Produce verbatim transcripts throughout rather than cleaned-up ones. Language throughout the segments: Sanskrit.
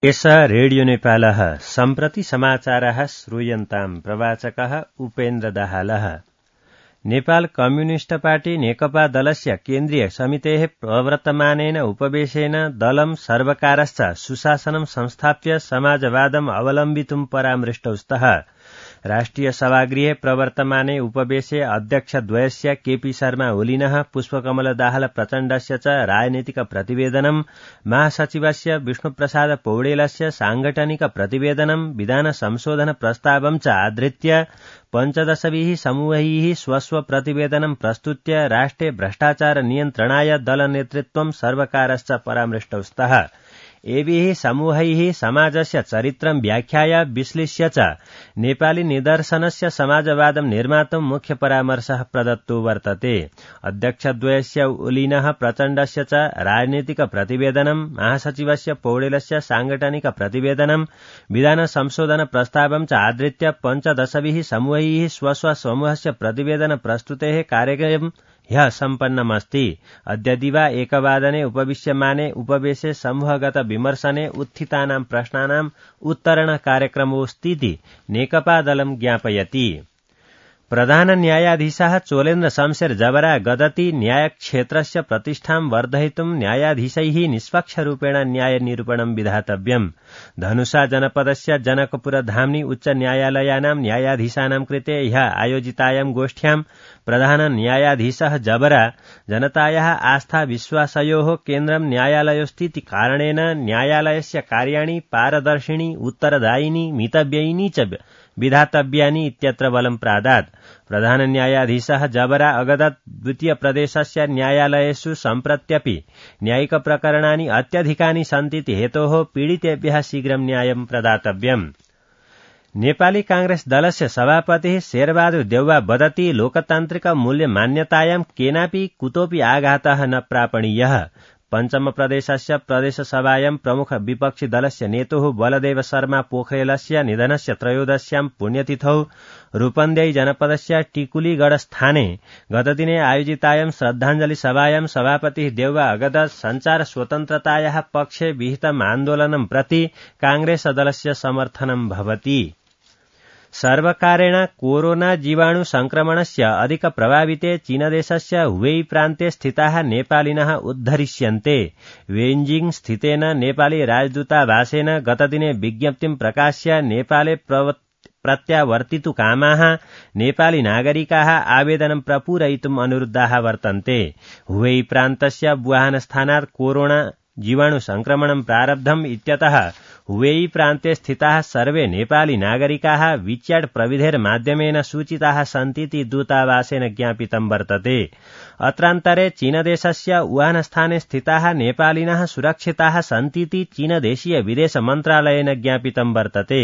एष रेडियो नेपालः सम्प्रति समाचारः श्रूयन्ताम् प्रवाचकः उपेन्द्र दाहालः। नेपाल कम्युनिस्ट पार्टी नेकपा दलस्य केन्द्रीय समितेः प्रवर्तमानेन उपवेशेन दलं सर्वकारश्च सुशासनं संस्थाप्य समाजवादम् अवलम्बितुं परामृष्टौ स्तः। राष्ट्रिय सभागृहे प्रवर्तमाने उपवेशे अध्यक्षद्वयस्य केपी शर्मा ओलिनः पुष्पकमल दाहाल प्रचण्डस्य च राजनीतिक प्रतिवेदनं महासचिवस्य विष्णुप्रसाद पौडेलस्य सांगठनिक प्रतिवेदनं विधान संशोधन प्रस्तावं च आधृत्य पञ्चदशभिः समूहैः स्वस्व प्रतिवेदनं प्रस्तुत्य राष्ट्रे भ्रष्टाचार नियन्त्रणाय दलनेतृत्वं सर्वकारश्च परामृष्टौ स्तः। एभिः समूहैः समाजस्य चरित्रं व्याख्याय विश्लेष्य च नेपाली निदर्शनस्य समाजवादं निर्मातुं मुख्य परामर्शः प्रदत्तो वर्तते। अध्यक्षद्वयस्य ओलिनः प्रचण्डस्य च राजनीतिक प्रतिवेदनं महासचिवस्य पौडेलस्य सांगठनिक प्रतिवेदनं विधान संशोधन प्रस्तावं च आधृत्य पञ्चदशभिः समूहैः स्वस्व समूहस्य प्रतिवेदन प्रस्तुतेः कार्यक्रमं ह्यः सम्पन्नमस्ति। अद्य दिवा एकवादने उपविश्यमाने उपवेशे समूहगत विमर्शने उत्थितानां प्रश्नानाम् उत्तरण कार्यक्रमोऽस्तीति नेकपा दलं ज्ञापयति। प्रधान न्यायाधीशः चोलेन्द्र शमशेर जबरा गदति न्यायक्षेत्रस्य प्रतिष्ठां वर्धयितुं न्यायाधीशैः निष्पक्षरूपेण न्यायनिरूपणं विधातव्यम्। धनुषा जनपदस्य जनकपुर धाम्नी उच्च न्यायालयानां न्यायाधीशानां कृते ह्यः आयोजितायां गोष्ठ्यां प्रधान न्यायाधीशः जबरा जनतायाः आस्था विश्वासयोः केन्द्रं न्यायालयोऽस्तीति कारणेन न्यायालयस्य कार्याणि पारदर्शिनी उत्तरदायिनी मितव्ययिनी च विधातव्यानि इत्यत्र बलं प्रादात्। प्रधान न्यायाधीशः जबरा अगदत् द्वितीय प्रदेशस्य न्यायालयेषु सम्प्रत्यपि न्यायिक प्रकरणानि अत्यधिकानि सन्तीति हेतोः पीडितेभ्यः शीघ्रं न्यायं प्रदातव्यम्। नेपाली कांग्रेस दलस्य सभापतिः शेरबहादुर देउवा वदति लोकतान्त्रिक मूल्य मान्यतायां केनापि कुतोपि आघातः न प्रापणीयः। पञ्चम प्रदेशस्य प्रदेशसभायां प्रमुख विपक्षी दलस्य नेतुः बलदेव शर्मा पोखरेलस्य निधनस्य त्रयोदश्यां पुण्यतिथौ रूपन्देही जनपदस्य टिकुलीगढस्थाने गतदिने आयोजितायां श्रद्धाञ्जलि सभायां सभापतिः देउवा अगदत् सञ्चार स्वतन्त्रतायाः पक्षे विहितम् आन्दोलनं प्रति कांग्रेस दलस्य समर्थनं भवति। सर्वकारेण कोरोना जीवाणु संक्रमणस्य अधिक प्रभाविते चीनदेशस्य हुवेई प्रान्ते स्थिताः नेपालिनः उद्धरिष्यन्ते। बेइजिङ स्थितेन नेपाली राजदूतावासेन गतदिने विज्ञप्तिं प्रकाश्य नेपाले प्रत्यावर्तितु कामाः नेपाली नागरिकाः आवेदनं प्रपूरयितुम् अनुरुद्धाः वर्तन्ते। हुवेई प्रान्तस्य वुहान स्थानात् कोरोना जीवाणु संक्रमणं प्रारब्धम् इत्यतः हुवेई प्रान्ते स्थिताः सर्वे नेपाली नागरिकाः वीचैट् प्रविधेर् माध्यमेन सूचिताः सन्तीति दूतावासेन ज्ञापितं वर्तते। अत्रान्तरे चीनदेशस्य वुहान स्थाने स्थिताः नेपालिनः सुरक्षिताः सन्तीति चीनदेशीय विदेश मन्त्रालयेन ज्ञापितं वर्तते।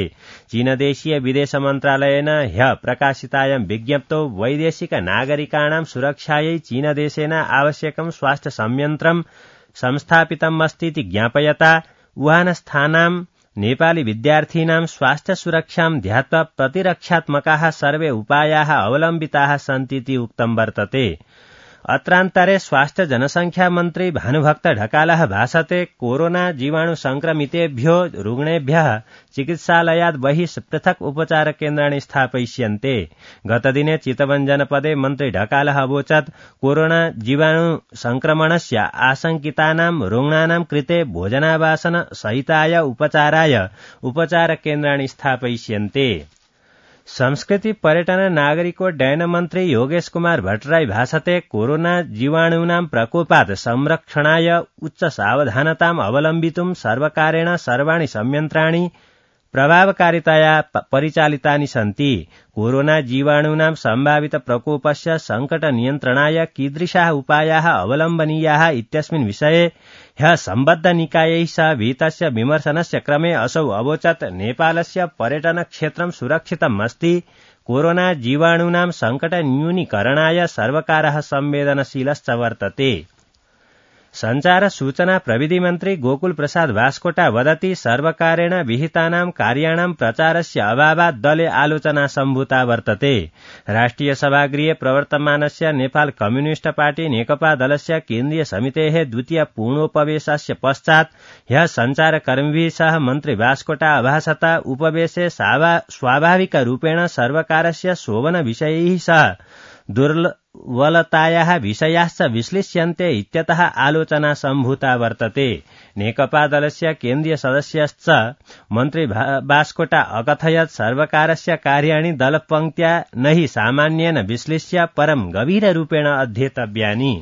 चीनदेशीय विदेश मन्त्रालयेन ह्यः प्रकाशितायां विज्ञप्तौ वैदेशिक नागरिकाणां सुरक्षायै चीनदेशेन आवश्यकं स्वास्थ्य संयन्त्रं संस्थापितम् अस्तीति ज्ञापयता वुहान स्थानां नेपाली विद्यार्थीनां स्वास्थ्य सुरक्षां ध्यात्वा प्रतिरक्षात्मकाः सर्वे उपायाः अवलम्बिताः सन्तीति उक्तं वर्तते। अत्रान्तरे स्वास्थ्य जनसंख्या मन्त्री भानुभक्त ढकालः भाषते कोरोना जीवाणु संक्रमितेभ्यो रुग्णेभ्यः चिकित्सालयात् बहिः पृथक् उपचार केन्द्राणि स्थापयिष्यन्ते। गतदिने चितवन जनपदे मन्त्री ढकालः अवोचत् कोरोना जीवाणु संक्रमणस्य आशंकितानां रुग्णानां कृते भोजनावासन सहिताय उपचाराय उपचार केन्द्राणि स्थापयिष्यन्ते। संस्कृति पर्यटन नागरिकोड्डयन मन्त्री योगेश कुमार भट्टराई भाषते कोरोना जीवाणूनां प्रकोपात् संरक्षणाय उच्च सावधानताम् अवलम्बितुं सर्वकारेण सर्वाणि संयन्त्राणि प्रभावकारितया परिचालितानि सन्ति। कोरोना जीवाणूनां सम्भावित प्रकोपस्य संकट नियन्त्रणाय कीदृशाः उपायाः अवलम्बनीयाः इत्यस्मिन् विषये ह्यः सम्बद्ध निकायैः सह विहितस्य विमर्शनस्य क्रमे असौ अवोचत् नेपालस्य पर्यटन क्षेत्रं सुरक्षितम् अस्ति। कोरोना जीवाणूनां संकट न्यूनीकरणाय सर्वकारः संवेदनशीलश्च वर्तते। संचार सूचना प्रविधि मन्त्री गोकुल प्रसाद बास्कोटा वदति सर्वकारेण विहितानां कार्याणां प्रचारस्य अभावात् दले आलोचना सम्भूता वर्तते। राष्ट्रिय सभागृहे प्रवर्तमानस्य नेपाल कम्युनिस्ट पार्टी नेकपा दलस्य केन्द्रीय समितेः द्वितीय पूर्णोपवेशस्य पश्चात् ह्यः संचारकर्मिभिः सह मन्त्री बास्कोटा अभासत उपवेशे स्वाभाविकरूपेण सर्वकारस्य शोभन विषयैः सह दुर्बलतायाः विषयाश्च विश्लिष्यन्ते इत्यतः आलोचना सम्भूता वर्तते। नेकपा दलस्य केन्द्रीय सदस्यश्च मन्त्री बास्कोटा अकथयत् सर्वकारस्य कार्याणि दलपङ्क्त्या न हि सामान्येन विश्लिष्य परं गभीररूपेण अध्येतव्यानि।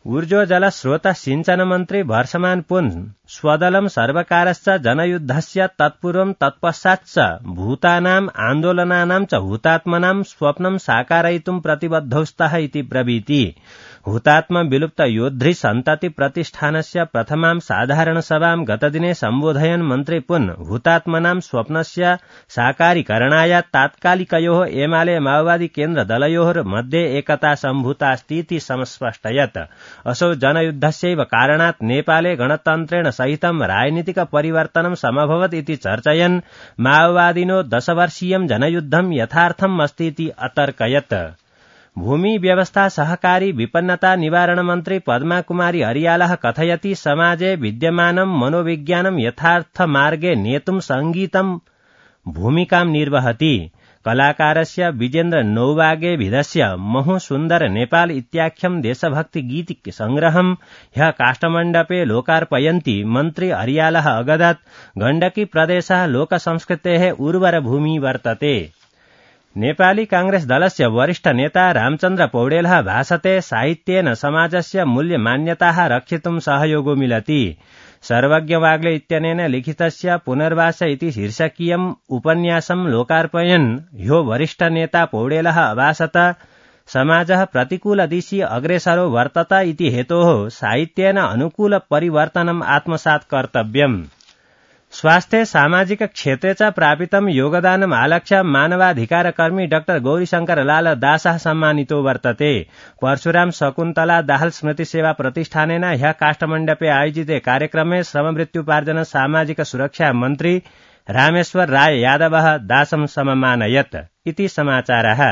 ऊर्जोजल स्रोत सिंचन मन्त्री भर्षमान पुन स्वदलं सर्वकारश्च जनयुद्धस्य तत्पूर्वं तत्पश्चाच्च भूतानाम् आन्दोलनानां च हुतात्मनां स्वप्नं साकारयितुं प्रतिबद्धौ स्तः इति ब्रवीति। हुतात्म विलुप्त योद्धृ सन्तति प्रतिष्ठानस्य प्रथमां साधारण सभां गतदिने सम्बोधयन् मन्त्री पुन हुतात्मनां स्वप्नस्य साकारीकरणाय तात्कालिकयोः एमाले माओवादी केन्द्र दलयोः मध्ये एकता सम्भूतास्तीति समस्पष्टयत्। असौ जनयुद्धस्यैव कारणात् नेपाले गणतन्त्रेण सहितं राजनीतिक परिवर्तनं समभवत् इति चर्चयन् माओवादिनो दशवर्षीयं जनयुद्धं यथार्थम् अस्तीति अतर्कयत्। भूमि व्यवस्था सहकारी विपन्नता निवारण मन्त्री पद्मा कुमारी अरियालः कथयति समाजे विद्यमानं मनोविज्ञानं यथार्थ मार्गे नेतुं संगीतं भूमिकां निर्वहति। कलाकारस्य विजेन्द्र नौवागे भिदस्य महु सुन्दर नेपाल इत्याख्यं देशभक्ति गीत संग्रहं ह्यः काष्ठमण्डपे लोकार्पयन्ति मन्त्री अरियालः अगदत् गण्डकी प्रदेशः लोकसंस्कृतेः उर्वर भूमि वर्तते। नेपाली कांग्रेस दलस्य वरिष्ठ नेता रामचन्द्र पौडेलः भाषते साहित्येन समाजस्य मूल्यमान्यताः रक्षितुं सहयोगो मिलति। सर्वज्ञ वाग्ले इत्यनेन लिखितस्य पुनर्वास इति शीर्षकीयम् उपन्यासं लोकार्पयन् ह्यो वरिष्ठ नेता पौडेलः अभासत समाजः प्रतिकूलदिशि अग्रेसरो वर्तत इति हेतोः साहित्येन अनुकूल परिवर्तनम् आत्मसात् कर्तव्यम्। स्वास्थ्य सामाजिक क्षेत्रे च प्रापितं योगदानम् आलक्ष्य मानवाधिकारकर्मी डाक्टर गौरीशंकर लाल दासः सम्मानितो वर्तते। परशुराम शकुन्तला दाहाल स्मृति सेवा प्रतिष्ठानेन ह्यः काष्ठमण्डपे आयोजिते कार्यक्रमे श्रममृत्युपार्जन सामाजिक सुरक्षा मन्त्री रामेश्वर राय यादवः दासं सममानयत् इति समाचारः।